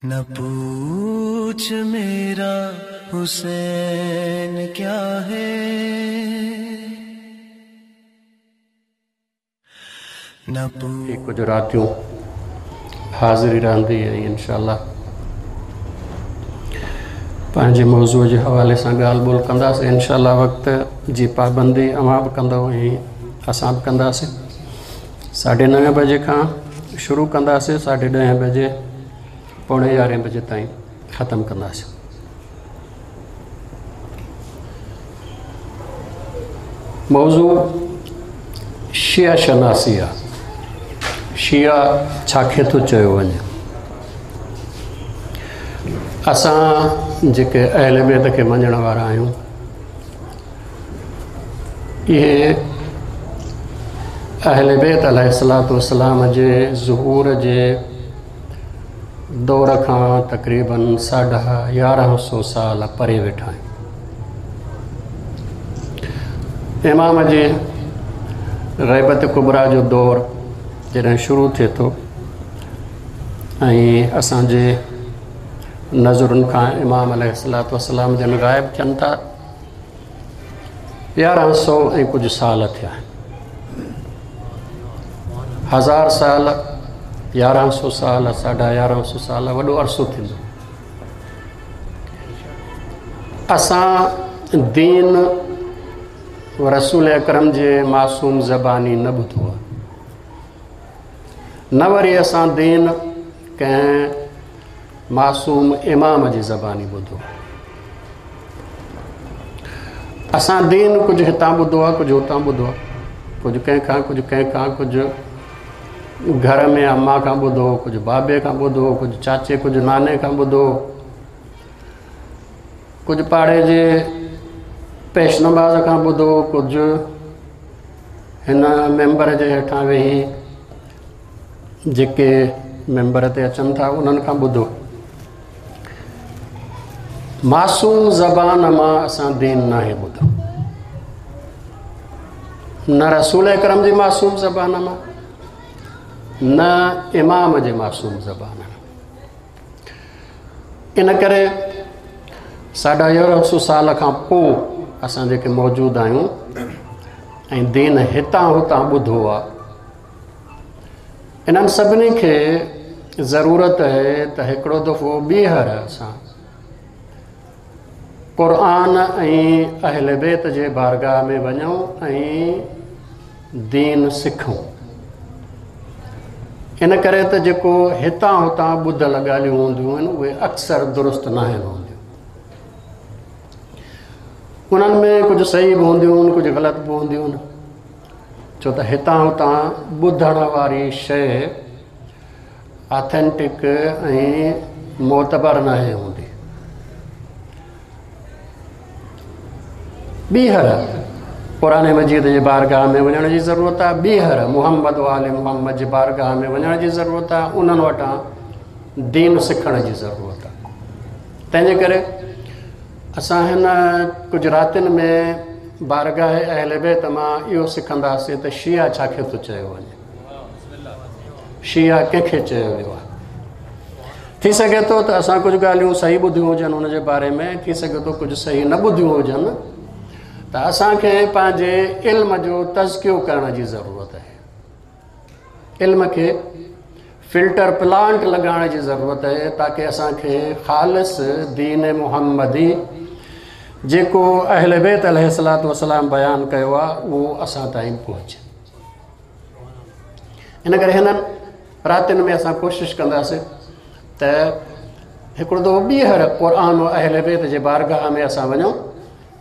न पूछ मेरा हुसैन क्या है, न ही कुझु रातियूं हाज़िरी रहंदी ऐं इनशा पंहिंजे मौज़ू जे हवाले सां ॻाल्हि ॿोल कंदासीं। इनशा वक़्त जी पाबंदी अव्हां बि कंदव ऐं असां बि कंदासीं। 9:30 बजे खां शुरू कंदासीं, 10:30 बजे 10:45 बजे ताईं ख़तमु कंदासीं। मौज़ू शिया शनासी आहे। शिया छाखे थो चयो वञे? असां जेके अहले बैत खे मञण वारा आहियूं, इहे अहले बैत अलैहिस्सलातु वस्सलाम जे ज़ुहूर जे दौर खां तक़रीबन 1150 साल परे वेठा आहियूं। इमाम जे ग़ैबत कुबरा जो दौर जॾहिं शुरू थिए थो ऐं असांजे नज़रुनि खां इमाम अलैहिस्सलातु वस्सलाम जन ग़ाइब थियनि था, 1100 ऐं कुझु साल थिया आहिनि। 1000 साल, 1100 साल, 1150 साल वॾो अरसो थींदो। असां दीन रसूल अकरम जे मासूम ज़बानी न ॿुधो आहे, न वरी असां दीन कंहिं मासूम इमाम जी ज़बानी ॿुधो। असां दीन कुझु हितां ॿुधो आहे, कुझु हुतां ॿुधो आहे, कुझु कंहिंखां, कुझु कंहिंखां, कुझु घर में अम्मा खां ॿुधो, कुझु बाबे खां ॿुधो, कुझु चाचे, कुझु नाने खां ॿुधो, कुझु पाड़े जे पेश नमाज़ खां ॿुधो, कुझु हिन मेंबर जे हेठां वेही जेके मेंबर ते अचनि था उन्हनि खां ॿुधो। मासूम ज़बान मां असां दीन नाहे ॿुधो, न रसूल अकरम जी मासूम ज़बान मां, न इमाम जे मासूम ज़बान मां। इन करे 1150 साल खां पोइ असां जेके मौजूदु आहियूं ऐं दीन हितां हुतां ॿुधो आहे, इन्हनि सभिनी खे ज़रूरत आहे त हिकिड़ो दफ़ो ॿीहर असां क़ुरान ऐं अहले बैत जे बारगाह में वञूं ऐं दीन सिखूं। इन करे त जेको हितां हुतां ॿुधल ॻाल्हियूं हूंदियूं आहिनि उहे अक्सर दुरुस्त न आहिनि हूंदियूं। उन्हनि में कुझु सही बि हूंदियूं आहिनि, कुझु ग़लति बि हूंदियूं आहिनि, छो त हितां हुतां ॿुधण वारी शइ ऑथेंटिक ऐं मोतबर न आहे हूंदी। ॿीहर क़ुरान मजीद जे बारगाह में वञण जी ज़रूरत आहे, ॿीहर मोहम्मद वाले मोहम्मद जे बारगाह में वञण जी ज़रूरत आहे, उन्हनि वटां दीन सिखण जी ज़रूरत आहे। तंहिंजे करे असां हिन कुझु रातियुनि में बारगाह अहले बैत मां इहो सिखंदासीं त शिया छाखे थो चयो वञे, शिया कंहिंखे चयो वियो आहे। थी सघे थो त असां कुझु ॻाल्हियूं सही ॿुधियूं हुजनि हुनजे बारे में, थी सघे थो कुझु सही न ॿुधियूं हुजनि, त असांखे पंहिंजे इल्म जो तज़कियो करण जी ज़रूरत आहे। इल्म खे फिल्टर प्लांट लॻाइण जी ज़रूरत आहे ताकि असांखे ख़ालिस दीन मुहम्मदी जेको अहले बैत अलैहिस्सलातु वस्सलाम बयानु कयो आहे उहो असां ताईं पहुचे। इन करे हिननि रातियुनि में असां कोशिशि कंदासीं त हिकिड़ो दफ़ो ॿीहर क़ुरान अहले बैत जे बारगाह में असां वञूं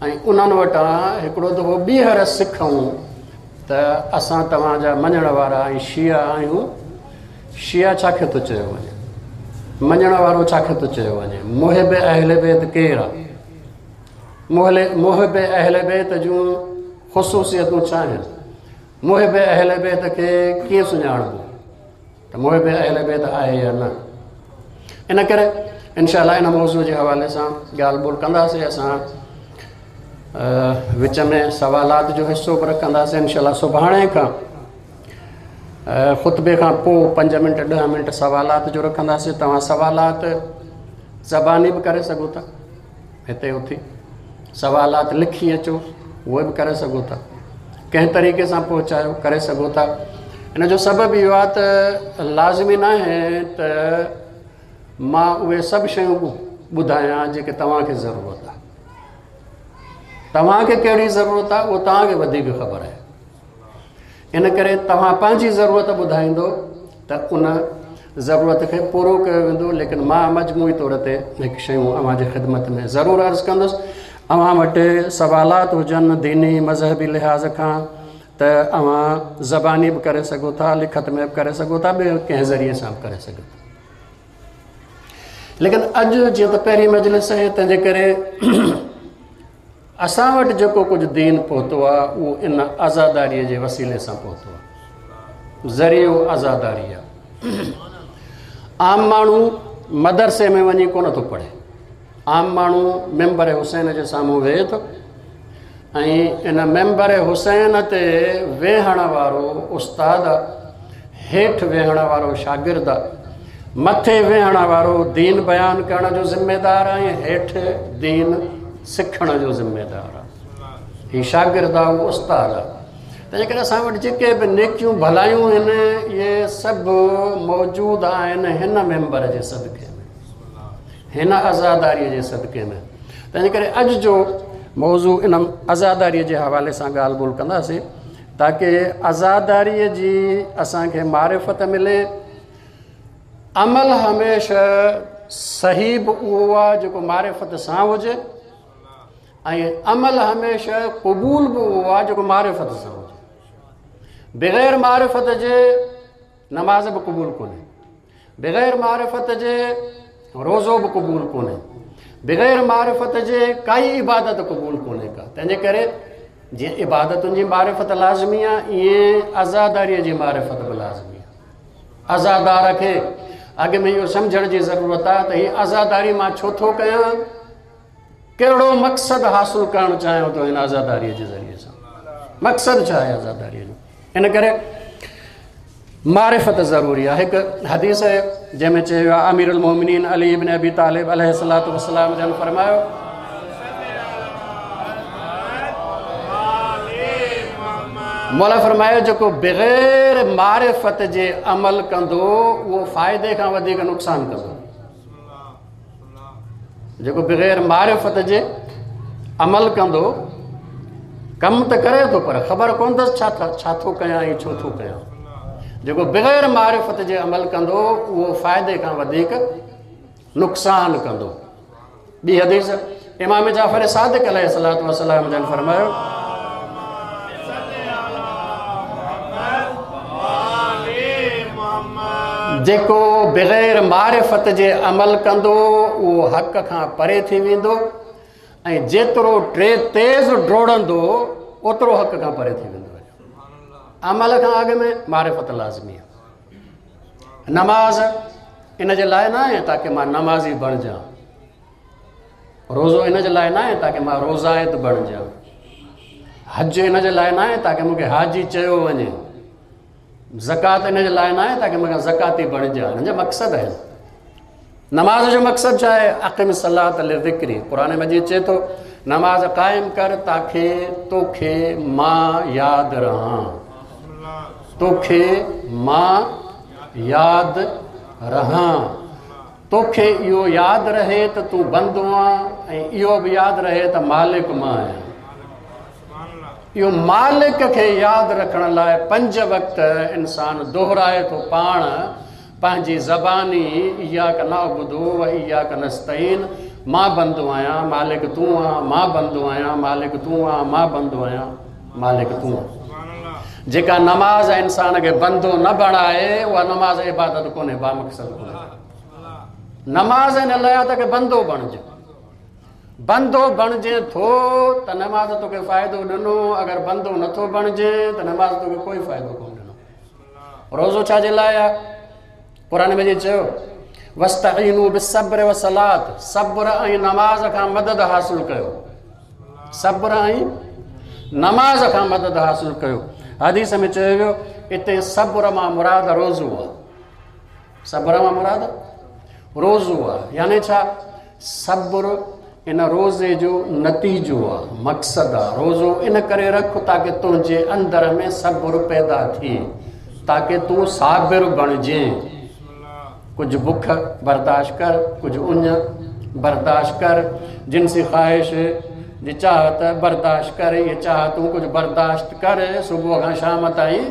ऐं उन्हनि वटां हिकिड़ो दफ़ो ॿीहर सिखूं त असां तव्हांजा मञण वारा ऐं शिया आहियूं। शिया छाखे थो चयो वञे? मञण वारो छाखे थो चयो वञे? मुहिब अहले बैत केरु आहे? मुहिब अहले बैत जूं ख़ुशूसियतूं छा आहिनि? मुहिब अहले बैत खे कीअं सुञाणबो त मुहिब अहले बैत आहे या न? इन करे इनशा इन मौज़ू जे हवाले सां ॻाल्हि ॿोल कंदासीं। असां विच में सवालात जो हिसो बि रखंदासीं। इनशा सुभाणे खां خطبي کان پوءِ 5 منٽ 10 منٽ سوالات جو رکنداسين. توهان سوالات زباني به ڪري سگهو ٿا، هتي اٿي سوالات لکي اچو اهي به ڪري سگهو ٿا، ڪنهن طريقي سان پهچايو ڪري سگهو ٿا. ان جو سبب اهو آهي ته لازمي نه آهي ته مان اهي سڀ شيون ٻڌايان جيڪي توهان کي ضرورت آهي. توهان کي ڪهڙي ضرورت آهي اهو توهان کي وڌيڪ خبر آهي. ان ڪري توهان پنهنجي ضرورت ٻڌائيندو ته ان ضرورت کي پورو ڪيو ويندو. ليڪن مان مجموعي طور تي هڪ شيون اوهان جي خدمت ۾ ضرور عرض ڪندس. اوهان وٽ سوالات هجن ديني مذهبي لحاظ کان ته اوهان زباني به ڪري سگهو ٿا، لکت ۾ به ڪري سگهو ٿا، ٻئي ڪنهن ذريعي سان به ڪري سگهو ٿا. ليڪن اڄ جيئن ته پهرين مجلس آهي تنهن جي ڪري اسان وٽ جيڪو ڪجهه دين پهتو آهي اهو ان عزاداريءَ جي وسيلي سان پهتو آهي. ذريعو عزاداري آهي. عام ماڻهو مدرسي ۾ وڃي ڪونه ٿو پڙهي. عام ماڻهو ممبر حسين جي سامهون ويهي ٿو ۽ ان ممبر حسين تي ويهڻ وارو استاد، هيٺ ويهڻ وارو شاگرد، مٿي ويهڻ وارو دين بيان ڪرڻ جو ذميدار آهي ۽ هيٺ دين سکڻ جو ذميدار آهي. هي شاگرد آهي، اهو استاد آهي. تنهن ڪري اسان وٽ جيڪي به نيڪيون ڀلايون آهن اهي سڀ موجود آهن هن ممبر جي صدقي ۾، هن عزاداريءَ جي صدقي ۾. تنهن ڪري اڄ جو موضوع ان عزاداريءَ جي حوالي سان ڳالهه ٻولهه ڪنداسين تاڪه عزاداريءَ جي اسان کي معرفت ملي. عمل هميشه صحيح به اهو آهي جيڪو معرفت سان هجي ۽ عمل هميشه قبول به اهو آهي جيڪو معرفت سان هجي. بغير معرفت جي نماز به قبول ڪونهي، بغير معرفت جي روزو به قبول ڪونهي، بغير معرفت جي ڪائي عبادت قبول ڪونهي ڪا. تنهن جي ڪري جيئن عبادتن جي معرفت لازمي آهي ائين عزاداريءَ جي معرفت به لازمي آهي. عزادار کي اڳ ۾ اهو سمجهڻ جي ضرورت آهي ته هيءَ عزاداري مان ڇو ٿو ڪيان، ڪهڙو مقصد حاصل ڪرڻ چاهيان ٿو هن عزاداريءَ جي ذريعي سان، مقصد ڇا آهي عزاداريءَ جو. ان ڪري معرفت ضروري آهي. هڪ حديث آهي جنهن ۾ چيو آهي امير المومنين علي ابن ابي طالب عليه الصلوة والسلام جن فرمايو مولا فرمايو جيڪو بغير معرفت جي عمل ڪندو اهو فائدي کان وڌيڪ نقصان ڪندو. جيڪو بغير معرفت جي عمل ڪندو، ڪم ته ڪري ٿو پر خبر ڪونه اٿس ڇا ٿو ڪيان ۽ ڇو ٿو ڪيان. جيڪو بغير معرفت جي عمل ڪندو اهو فائدي کان وڌيڪ نقصان ڪندو. ٻي حديث امام جعفر صادق عليه الصلوة والسلام جن فرمايو جيڪو بغير معرفت جي عمل ڪندو اهو حق کان پري ٿي ويندو ۽ جيترو تيز ڊوڙندو اوترو حق کان پري ٿي ويندو. عمل کان اڳ ۾ معرفت لازمي آهي. نماز ان جي لاءِ نه آهي تاڪه مان نمازي بڻجان، روزو ان جي لاءِ نه آهي تاڪه مان روزائت بڻجان، حج ان جي لاءِ نه آهي تاڪه مون کي حاجي چيو وڃي، زڪوات ان جي لاءِ نه آهي تاڪه مون کي زڪاتي بڻجان. هن جا مقصد آهن. نماز جو مقصد ڇا آهي؟ اقم الصلاة لذڪري. قرآن مجيد چئي ٿو نماز قائم ڪر تاڪه توکي مان ياد رهان، توکي مان ياد رهان. توکي اهو ياد رهي ته تون بندو آهين ۽ اهو به ياد رهي ته مالڪ مان آهيان. اهو مالڪ کي ياد رکڻ لاءِ 5 وقت انسان دهرائي ٿو پاڻ پنهنجي زباني اياڪ نعبد و اياڪ نستعين. مان بندو آهيان مالڪ تون آهين، مان بندو آهيان مالڪ تون آهين، مان بندو آهيان مالڪ تون آهين. جيڪا نماز انسان کي بندو نه بڻائي اها نماز عبادت ڪونهي، بامقصد ڪونهي. نماز ان لاءِ آهي ته بندو بڻجي. بندو بڻجي ٿو ته نماز توکي فائدو ڏنو، اگر بندو نٿو بڻجي ته نماز توکي ڪوئي فائدو ڪونه ڏنو. روزو ڇا جي لاءِ آهي؟ قرآن ۾ چيو واستعينوا بالصبر والصلاة، صبر ۽ نماز کان مدد حاصل ڪيو، صبر ۽ نماز کان مدد حاصل ڪيو. حديث ۾ چيو ويو هتي صبر مان مراد روزو آهي. صبر مان مراد روزو آهي، يعني ڇا؟ صبر ان روزي جو نتيجو آهي، مقصد آهي. روزو ان ڪري رک تاڪه تنهنجي اندر ۾ صبر پيدا ٿئي، تاڪه تون صابر بڻجين. ڪجهه بک برداشت ڪر، ڪجهه اڃ برداشت ڪر، جنسي خواهش جي چاهت برداشت ڪر، اهي چاهتون ڪجهه برداشت ڪر صبح کان شام تائين.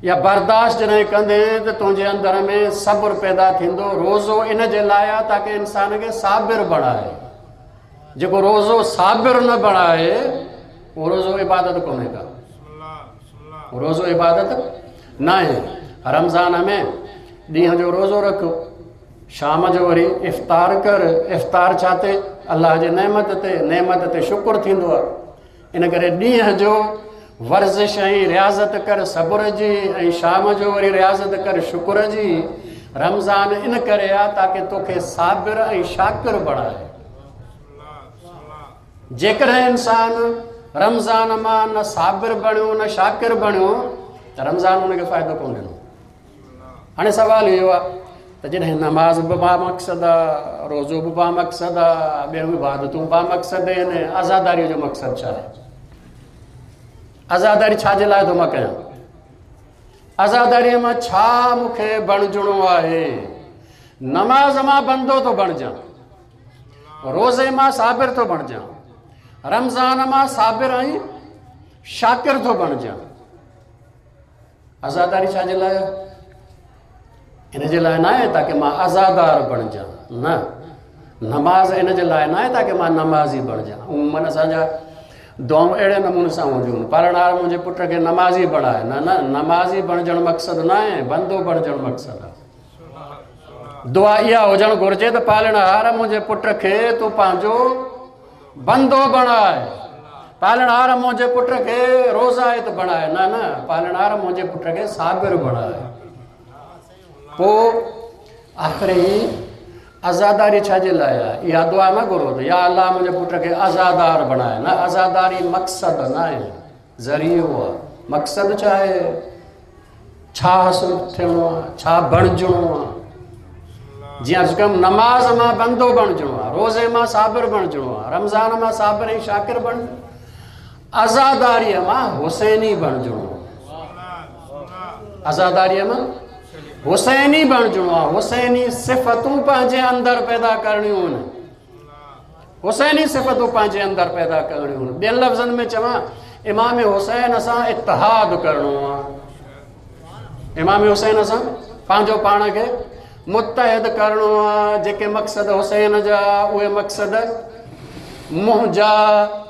يا برداشت جڏهن ڪندين ته تنهنجي اندر ۾ صبر پيدا ٿيندو. روزو ان جي لاءِ آهي تاڪه انسان کي صابر بڻائي. جيڪو روزو صابر نه بڻائي اهو روزو عبادت ڪونهي ڪا، روزو عبادت ناهي. رمضان ۾ ڏينهن جو روزو رک، شام جو وري افطار ڪر. افطار ڇا تي؟ الله جي نعمت تي. نعمت تي شڪر ٿيندو آهي. ان ڪري ڏينهن جو ورزش ۽ رياضت ڪر صبر جي، ۽ شام جو وري رياضت ڪر شڪر جي. رمضان ان ڪري آ تاڪه توکي صابر ۽ شاڪر بڻائي. جيڪڏهن انسان رمضان مان نه صابر بڻيو نه شاڪر بڻيو ته رمضان ان کي فائدو ڪونه ڏنو. هاڻي سوال اهو آهي ته جڏهن نماز به با مقصد آ، روزو به با مقصد آ، ٻيون عبادتون با مقصد آهن، عزاداريء جو مقصد ڇا آهي؟ عزاداري ڇا جي لاءِ ٿو مان ڪيان؟ عزاداريء مان ڇا مون کي بڻجڻو آهي؟ نماز مان بندو ٿو بڻجان، روزي مان صابر ٿو بڻجان، رمضان مان صابر ۽ شاڪر ٿو بڻجان. عزاداري ڇا جي لاءِ؟ ان جي لاءِ نه آهي تاڪه مان عزادار بڻجان، نه. نماز ان جي لاءِ نه آهي تاڪه مان نمازي بڻجان. عموماً اسان جا دعائون اهڙي نموني سان هونديون آهن، پالڻهار منهنجي پٽ کي نمازي بڻائي. نه نه، نمازي بڻجڻ مقصد نه آهي، بندو بڻجڻ مقصد آهي. دعا اها هجڻ گهرجي ته پالڻهار منهنجي پٽ کي تون پنهنجو بندو بڻائي، پالڻهار منهنجي پٽ کي روزائت بڻائي. نه نه، پالڻهار منهنجي پٽ کي صابر بڻائي. پوءِ آخر هي عزاداري ڇا جي لاءِ آهي؟ اها دعا نه گهرو ته يا الله منهنجي پٽ کي عزادار بڻائي. نه، عزاداري مقصد نه آهي، ذريعو آهي. مقصد ڇا آهي؟ ڇا حاصل ٿيڻو آهي؟ ڇا بڻجڻو آهي؟ جيئن عرض ڪيم، نماز مان بندو بڻجڻو آهي، روزي مان صابر بڻجڻو آهي، رمضان مان صابر ۽ شاڪر بڻجڻو، عزاداريءَ مان حسيني بڻجڻو آهي. عزاداريءَ مان حسيني بڻجڻو آهي. حسيني صفتون پنهنجي اندر پيدا ڪرڻيون آهن. حسيني صفتون پنهنجي اندر پيدا ڪرڻيون آهن. ٻين لفظن ۾ چوان، امام حسين سان اتحاد ڪرڻو آهي. امام حسين سان پنهنجو پاڻ کي متحد ڪرڻو آهي. جيڪي مقصد حسين جا، اهي مقصد منهنجا.